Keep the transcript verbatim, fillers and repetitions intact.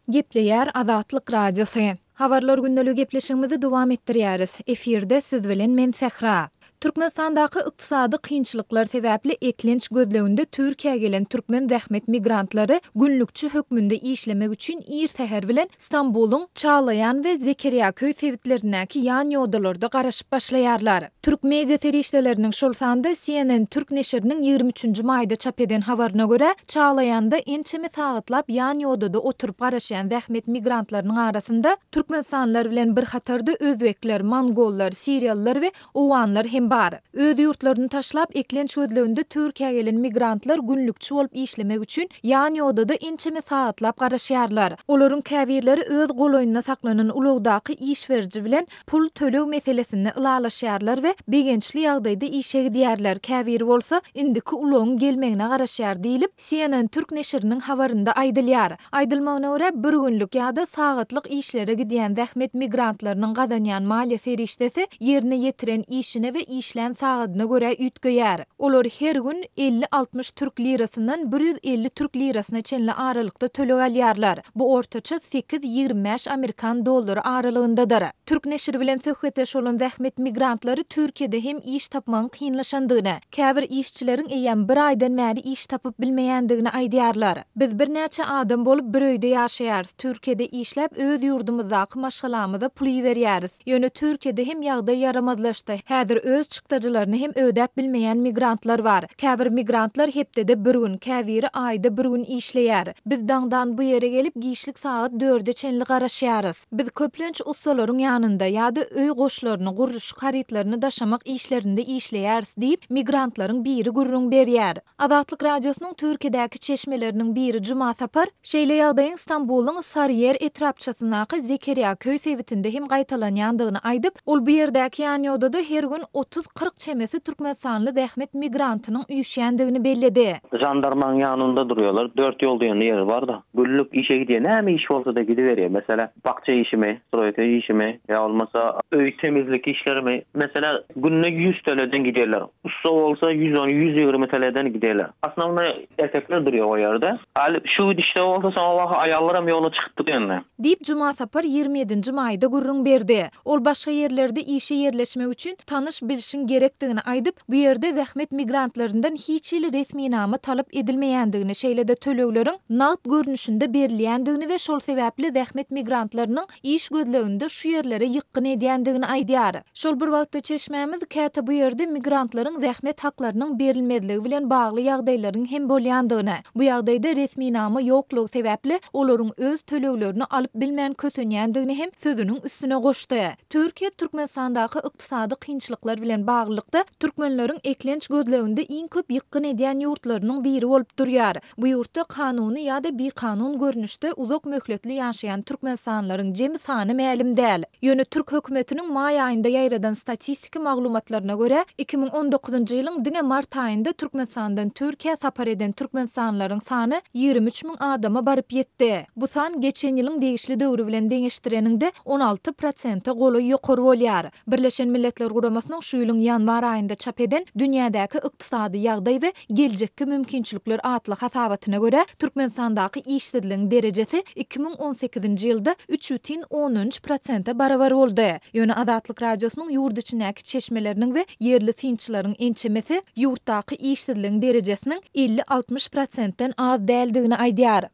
Gepleýär Azatlyk Radiosy. Habarlar gündeligi gepleşigimizi dowam etdirýäris. Efirde siz bilen men Sähra. Türkmenistandaky ykdysady kynçylyklar sebäpli eklenç gözleginde Türkiýä gelen türkmen zähmet migrantlary günlükçi hökmünde işlemek üçin ir säher bilen Stambulyň Çaglaýan we Zekeriýaköý sebitlerindäki ýan ýodalarda garaşyp başlaýarlar. Türk media serişdeleriniň, şol sanda C N N Türk neşiriniň ýigrimi üçünji maýda çap eden habaryna görä, Çaglaýanda ençeme sagatlap ýan ýodada oturyp garaşýan zähmet migrantlarynyň arasynda türkmenistanlylar bilen bir hatarda özbekler, mongollar, siriýalylar we owganlar hem bar. Öz ýurtlaryny taşlap eklenç gözleginde Türkiýä gelen migrantlar günlükçi bolup işlemek üçin ýan ýodada ençeme sagatlap garaşýarlar. Olaryň käbirleri öz golaýynda saklanan ulagdaky iş beriji bilen pul töleg meselesinde ylalaşýarlar we begençli ýagdaýda işe gidýärler. Käbiri bolsa indiki ulagyň gelmegine garaşýar diýlip, C N N Türk neşiriniň habarynda aýdylýar. Aýdylmagyna görä, bir günlük ýa-da sagatlyk işlere gidýän zähmet migrantlarynyň gazanýan maliýe serişdesi ýerine ýetiren işine we işlän sagadyna görä üýtgeýär. Olar her gün elli-altmyş türk lirasyndan bir ýüz elli türk lirasyna çenli aralykda töleg alýarlar. Bu ortaça sekiz ýigrimi bäş amerikan dollary aralygyndadyr. Türk neşiri bilen söhbetdeş bolan zähmet migrantlary Türkiýede hem iş tapmagyň kynlaşandygyny, käbir işçileriň eýýäm bir aýdan bäri iş tapyp bilmeýändigini aýdýarlar. Biz birnäçe adam bolup bir öýde ýaşaýarys. Türkiýede işläp öz ýurdumyzdaky maşgalamyza pul iberýäris. Ýöne Türkiýede hem ýagdaý ýaramazlaşdy. Häzir öz çykdajylaryny hem ödäp bilmeýän migrantlar bar. Käbir migrantlar hepdede bir gün, käbiri aýda bir gün işleýär. Biz daňdan bu ýere gelip giçlik sagat dörde çenli garaşýarys. Biz köplenç ussalaryň ýanynda ýa-da öý goşlaryny, gurluşyk harytlaryny daşamak işlerinde işleýäris diýip, migrantlaryň biri gürrüň berýär. Azatlyk Radiosynyň Türkiýedäki çeşmeleriniň biri Juma Sapar şeýle ýagdaýyň Stambulyň Sarıyer etrapçasyndaky Zekeriýaköý sebitinde hem gaýtalanýandygyny aýdyp, ol bu ýerdäki ýan ýodada her gün otuz kyrk çemesi türkmenistanly zähmet migrantynyň üýşýändigini belledi. Jandarmaň ýanynda durýarlar. Dört ýol diýen ýeri bar da. Günlük işe gidýär. Näme iş bolsa da gidiberýär. Mesela bakça işimi, stroýka işimi ýa bolmasa öý temizlik işlerimi. Mesela günde ýüz T L'den giderler. Ussa bolsa ýüz on, ýüz ýigrimi T L'den giderler. Aslynda erkekler durýar o ýerde. Hali şu gidişde bolsa soňra waka aýallar hem ýola çykypdy ýene. Diýip Juma Sapar ýigrimi ýedinji maýda gürrüň berdi. Ol başga ýerlerde işe ýerleşmek üçin tanyş bilişiň gerekdigini aýdyp, bu ýerde zähmet migrantlaryndan hiç hili resminama talap edilmeýändigini, şeýle-de tölegleriň nagt görnüşinde berilýändigini we şol sebäpli zähmet migrantlarynyň iş gözleginde şu ýerlere ýykgyn edýändigini aýdýar. Şol bir wagtda çeşmämiz käte bu ýerde migrantlaryň zähmet haklarynyň berilmezligi bilen bagly ýagdaýlaryň hem bolýandygyny, bu ýagdaýda resminama ýoklugy sebäpli olaryň öz töleglerini alyp bilmän kösenýändigini hem sözüniň üstüne goşdy. Türkiýe Türkmenistandaky ykdysady kynçylyklar bilen baglylykda türkmenleriň eklenç gözleginde iň köp ýykgyn edýän ýurtlarynyň biri bolup durýar. Bu ýurtda kanuny ýa-da bikanun görnüşde uzak möhletli ýaşaýan türkmenistanlylaryň jemi sany mälim däl. Ýöne türk hökümetiniň maý aýynda ýaýradan statistiki maglumatlaryna görä, iki müň on dokuzynjy ýylyň diňe mart aýynda Türkmenistandan Türkiýä sapar eden türkmenistanlylaryň sany ýigrimi üç müň adama baryp ýetdi. Bu san geçen ýylyň degişli döwri bilen deňeşdireniňde on alty prosente golaý ýokary bolýar. Birleşen Milletler Guramasynyň şu ýylyň ýanwar aýynda çap eden Dünýädäki ykdysady ýagdaý we geljekki mümkinçilikler atly hasabatyna görä, Türkmenistandaky işsizligiň derejesi iki müň on sekizinji ýylda üç bütin ondan üç prosente barabar boldy. Ýöne Azatlyk Radiosynyň ýurt içindäki çeşmeleriniň we ýerli synçylaryň ençemesi ýurtdaky işsizligiň derejesiniň elli altmyş prosentden az däldigini aýdýar.